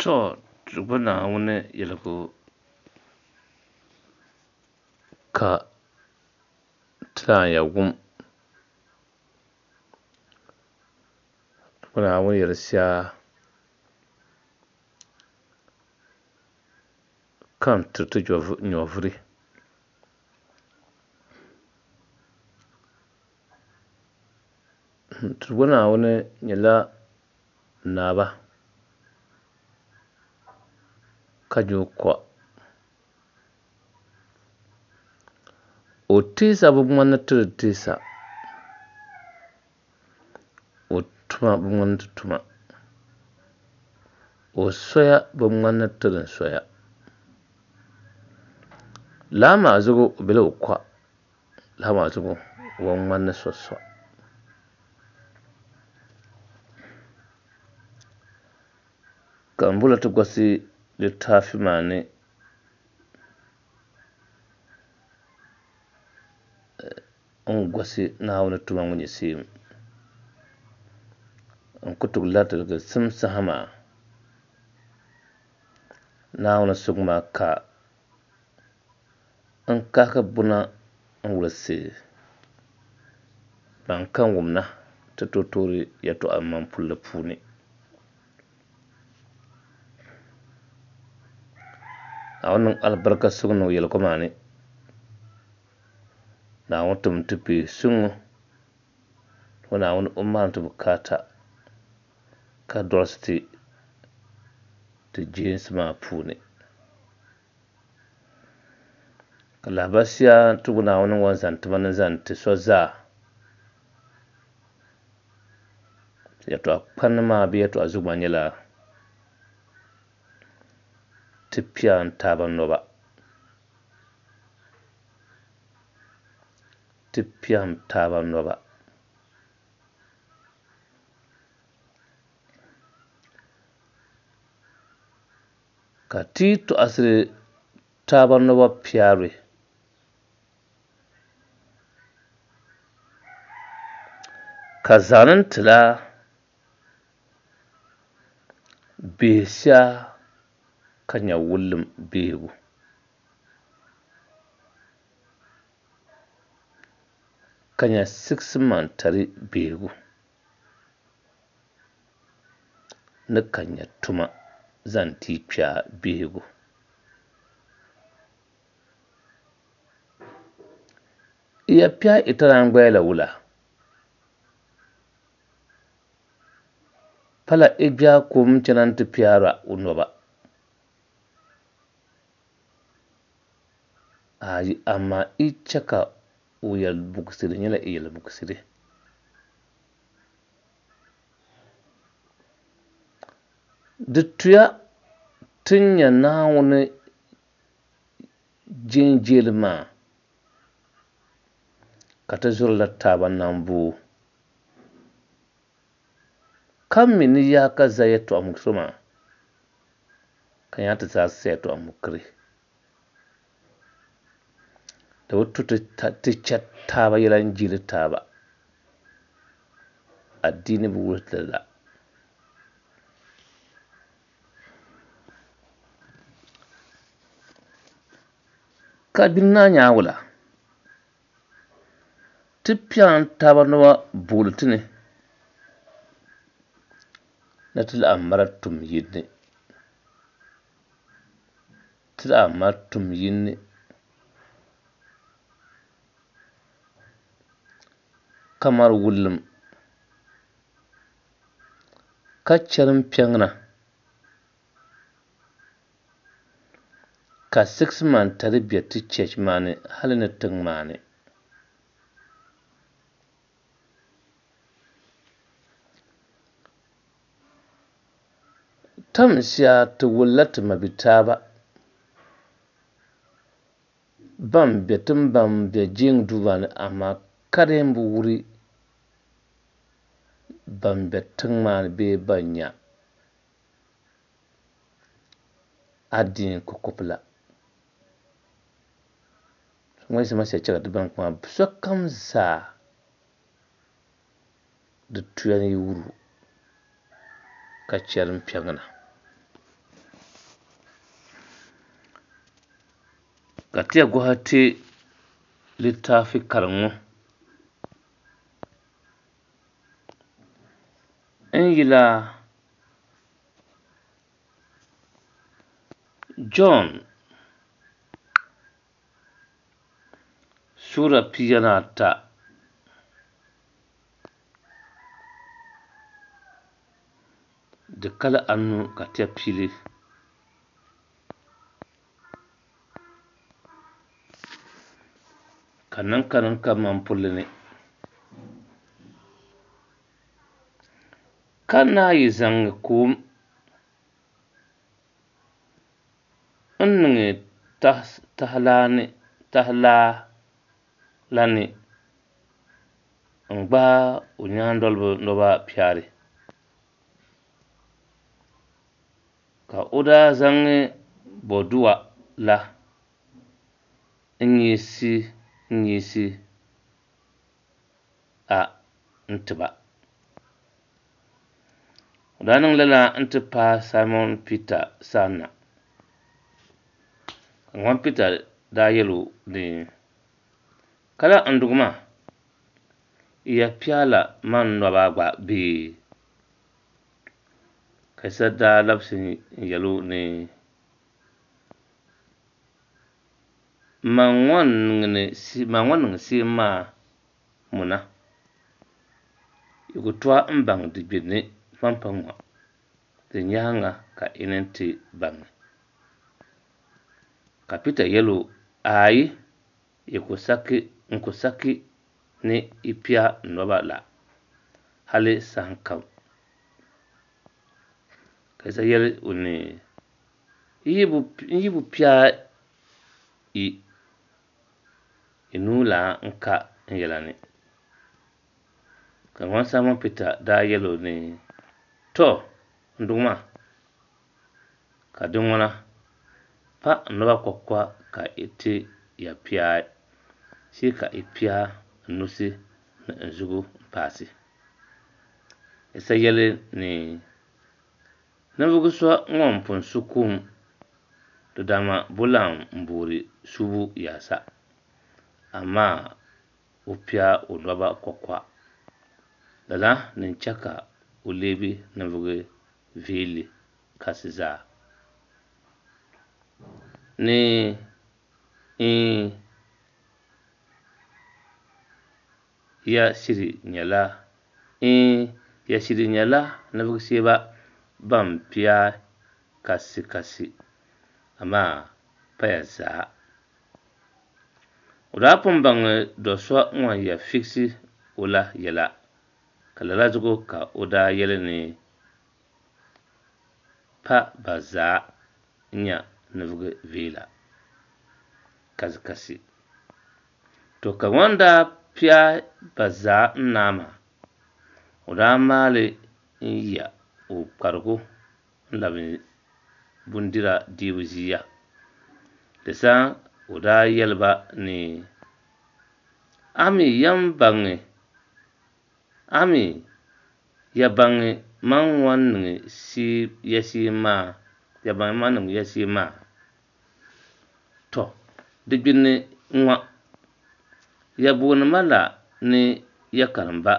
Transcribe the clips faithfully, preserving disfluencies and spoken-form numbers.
To ti gba Naawuni yɛligu ka ti naan ya wum. Ti gba Naawuni yɛli sia ka n tiri ti nyɔvuri. Ti gba Naawuni nyɛla naaba ka nyɛ o kɔ. O teesa bi ŋmani ti di teesa. O tuma bi ŋmani ti tuma. O soya bi ŋmani ti din soya. Lala maa zuɣu o bela o kɔ. Lala maa zuɣu o bi ŋmani ni so so. Ka m bɔla ti gosi litaafi maa ni n gosi Naawuni tuma ŋɔ nyɛ seem. N ku tooi lahi tiliginsim saha maa Naawuni suŋ maa ka n kahigi buna n wulisi ban kam wumna ti tooi toori yɛltɔɣa maŋ pulli puuni. Naawuni niŋ alibarika suŋ niŋ yɛligu maa ni. Naawuni tim ti kpee suŋ ŋɔ. O Naawuni o maani ti bukaata ka dolisi ti ti jeensi maa puuni. Ka lahibali sia ti gu Naawuni ŋɔ zaŋ tima ni zaŋ ti so zaa. Yɛltɔɣa kpani maa bee yɛltɔɣa zuɣu maa nyɛla ti piɛm taaba nɔba. Ti piɛm taaba nɔba. Ka ti tɔɣisiri taaba nɔba piɛri. Ka zaŋ tila bihi sia ka nya wulim bihigu. Ka nya siɣisimantali bihigu. Ni ka nya tuma zaŋ ti kpɛa bihigu. Iya pia itaran gbaya la wula. Pala igbia kum chana nti piara o nɔba. Ayi amaa i chɛ ka o yɛli buɣisiri nyɛla i yɛli buɣisiri. Di tuya ti nya Naawuni jenjeeli maa ka ti zurila taaba namboo. Ka mi ni yaa ka za yɛltɔɣa muɣisiri maa ka nya ti zaɣisi yɛltɔɣa mukiri. Di bi tu ti chɛ taaba yɛla n-jeeli taaba. Adiini bi wuhi ti la. Ka gbini naa nyaawula. Ti piɛm taaba nɔba booli ti ni ni ti laɣim mara tum yini. Ti laɣim mara tum yini. Ka mari wulim. Ka chɛrim piɛŋna. Ka siɣisimantali be ti cheechi maa ni hali ni tiŋ maa ni. Tam sia ti wulila ti mabitaaba ban be tin ban be jeeŋ duu maa ni amaa ka di yɛn bi wuri ban be tiŋ maa ni bee ban nya adiini kukupi la. Ŋɔ yiɣisi ma sia chɛ ka ti baŋ kuma sokam zaa di tuya ni yi wuri o ka chɛrim piɛŋna. Ka ti ya gɔhi ti litaafi kariŋ ŋɔ n yila Jɔn suura pia ni ata di kali anu ka ti ya piili. Ka niŋ ka niŋ ka man pulli ni ka naayi zaŋ kom n niŋ tahalaa la ni n gbaai o nyaandoliba noba piɛri ka o daa zaŋ boduwa la n nyiisi a n tiba. O daa niŋ lala n ti paai Saimɔn Pita sanna. Ka ŋɔn Pita daa yɛl o ni, Kala n Duuma, i ya piɛla man nɔba gba bee? Ka Yisa daa labisi n yɛl o ni, Man ŋɔ niŋ seem maa muna, yi ku tooi n baŋ di gbinni pumpɔŋɔ, di nyaaŋa ka yi ni ti baŋ. Ka Pita yɛl o, Aai, n ku saki ni i pia n nɔba la hali sahakam. Ka Yisa yɛl o ni, N yi bi pia yi, yi nuu lan ka n yɛla ni. Ka ŋɔn Saimɔn Pita daa yɛl o ni, Tɔ, n Duuma, ka di ŋuna, pa n nɔba kɔkɔ ka i ti ya piai, shee ka i pia n nusi ni n zuɣu m-paasi. Yisa yɛli ni, Ninvuɣ so ŋun pun su kum, di dama bulan m-boori subu yaasa, amaa o pia o nɔba kɔkɔ. Lala ni n-chɛ ka o lebi ninvuɣ viɛlli kasi zaa. Ni iin, ya shiri nyɛla iin, ya shiri nyɛla ninvuɣ shɛba ban pia kasikasi, amaa paya zaa. O daa pun baŋ do so ŋun ya fiɣisi o la yɛla, ka lala zuɣu ka o daa yɛli ni pa ba zaa n-nyɛ ninvuɣ viɛla kasikasi. To ka ŋun daa pia ba zaa n-naai maa, o daa maali n-ya o kparigu n-labi bindira dibu ʒia. Di saha o daa yɛli ba ni, A mi ya baŋ man ŋɔ niŋ ya shee maa? Tɔ, di gbinni n-ŋɔ, ya booni ma la ni ya karimba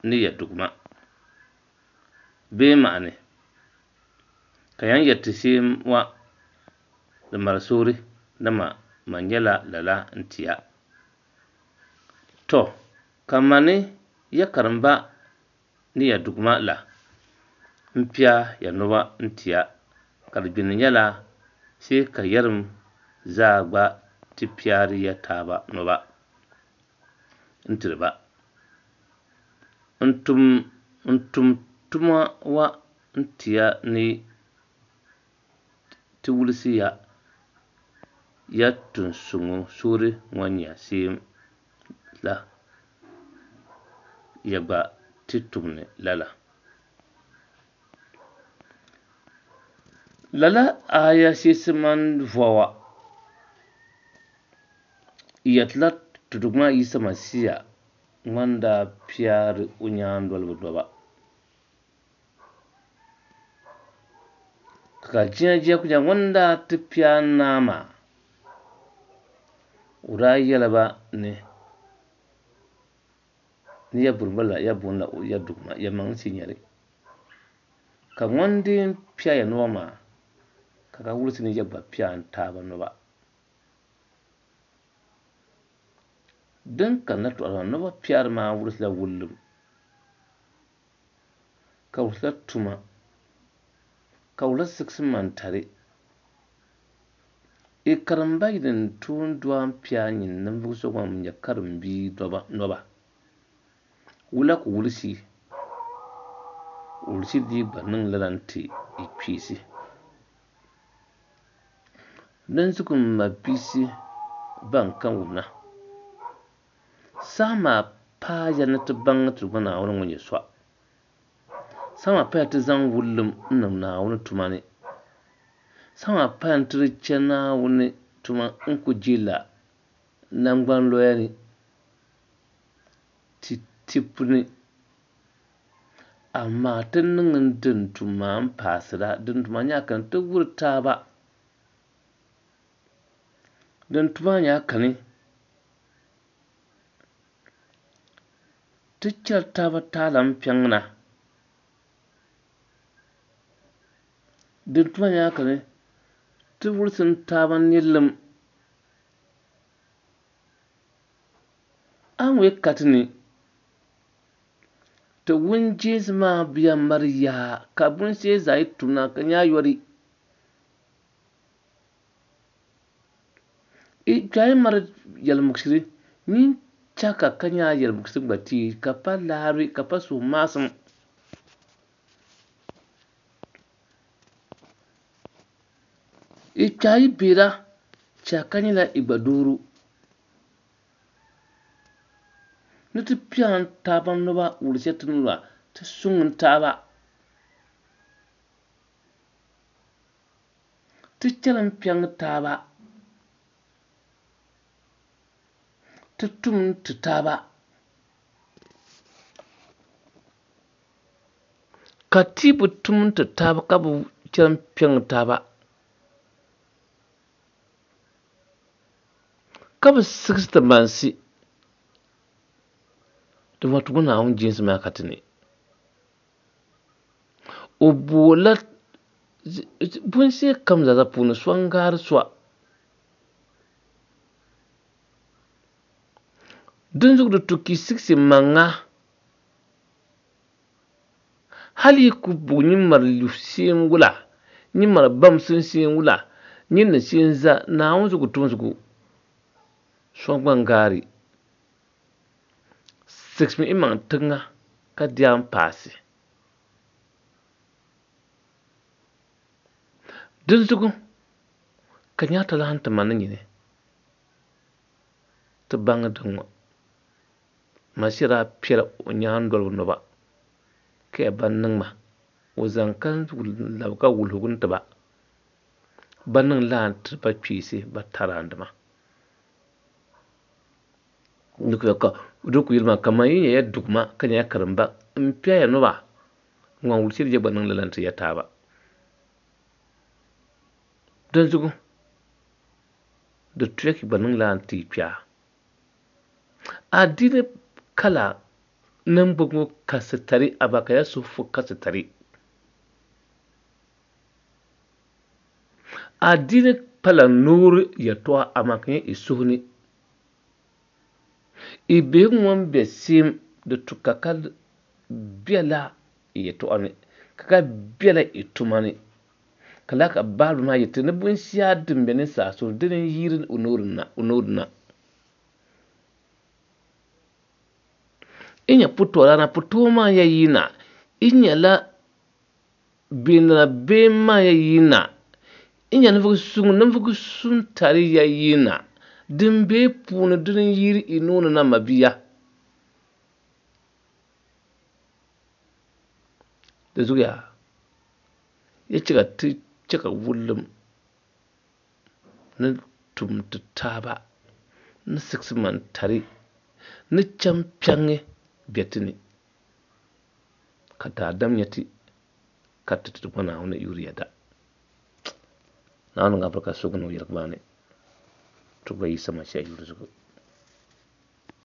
ni ya Duuma, bee maani, ka yan yɛri ti shee ŋɔ di mali suuri, dama man nyɛla lala n-ti ya. Tɔ, ka mani ya karimba ni ya Duuma la m-pia ya nɔba n-ti ya, ka di gbinni nyɛla shee ka yɛrim zaa gba ti piɛri ya taaba nɔba n-tiri ba. N tum tuma ŋɔ n-ti ya ni ti wulisi ya ya tuun suuri ŋɔ nyɛ shɛm la, ya gba ti tumdi lala. Lala aya sheesi mani vɔwa yɛtila ti Duuma Yisa Masia ŋun daa piɛri o nyaandoliba nɔba. Ka jia jia ku nyɛla ŋun daa ti piɛ naa maa, O daa yɛla ba ni ni ya buri la ya booni la ya dugma ya maŋ si nyɛli ka ŋun din pia ya noba maa ka ka wulisi ni ya gba pia n taaba noba din ka na tɔɣiri maa noba piari maa wulisila wullim ka wulisila tuma ka wulisa sigisi mantari i karimba yini tuun doan pia nyin ninvuɣu so ŋun nyɛ karimbia noba wula ku wulisi wulisi di gba niŋ lala n-ti i kpeesi dinzuɣu m mabisi ban kam wumna saha maa paaya ni ti baŋ ti Duuma Naawuni ŋun nyɛ so saha maa paaya ti zaŋ wullim n niŋ Naawuni tuma ni saha maa paaya ni ti di che Naawuni tuma n ku jilla nangban loya ni ti tibu ni amaa ti niŋ din tum maa n paasira din tum maa nyaa kani ti wuri taaba din tum maa nyaa kani ti chɛri taaba taala n piɛŋ na din tum maa nyaa kani ti wulisi taaba nirilim a ŋɔ ka ti ni ti wun jeensi maa biya mari yaa ka bunshee zaa yi tum na ka nyaa yɔri i kpɛhi mari yɛlimuɣisiri nyin chaka ka nyaa yɛlimuɣisiri gba tii ka pa laari ka pa suhumaasim i kpɛhi yi beera chaka nyɛla i gba dooru ni ti pian taaba noba wulisiya ti nua ti suŋ taaba ti chɛri n piɛŋ taaba ti tum ti taaba ka ti bi tum ti taaba ka bi chɛri n piɛŋ taaba ka bi sigisi ti mansi di ŋɔ Duuma Naawuni jeensi maa ka ti ni o boola bunshee kam zaa puuni so n gaari so dinzuɣu di tu ka i sigisi maŋa hali yi ku bugi nyin mari sheen wula nyin mari bamsin sheen wula nyin ni sheen za Naawuni zuɣu tum zuɣu so gba n gaari sigisimi i maŋ tiŋa ka di an paasi dinzuɣu ka nyaa talahi ti ma ni nyini ti baŋ din ŋɔ Masia daa piɛla o nyaandoliba noba ka ya ban niŋ ma o zaŋ ka labi ka wulihigu n ti ba ba niŋ laa n tiri ba kpeesi ba taraandima di ku yɛli maa kaman yi nyɛ ya dugma ka nyɛ ya karimba n piɛ ya noba ŋun wulisi ya gba niŋ lala n ti ya taaba dinzuɣu di tuya ka gba niŋ laa n ti kpɛa adiini kala niŋbu ŋɔ kasitari amaa ka ya suhu kasitari adiini pala noori yɛltɔɣa amaa ka nyɛ i suhu ni i bihi ŋun be seem di tu ka ka bela i yɛltɔɣa ni ka ka bela i tuma ni ka laa ka baabuli maa yɛti ni binshɛɣu din be ninsaal suhu dini n yiiri o noori na i nyɛ putɔrana putoo maa ya yina i nyɛla beenana been maa ya yina i nyɛ ninvuɣu suŋ ninvuɣu suŋ tari ya yina din be puuni dini n yiiri i nooni na mabia di zuɣuya ya chɛ ka ti chɛ ka wullim ni tum ti taaba ni sigisi man tari ni chɛm piɛŋi be ti ni ka daadam nyɛ ti ka ti ti Duuma Naawuni yuri yɛda Naawuni niŋ alibarika sugu niŋ yɛligu maa ni. Ti Ba Yisa Masia yuli zuɣu.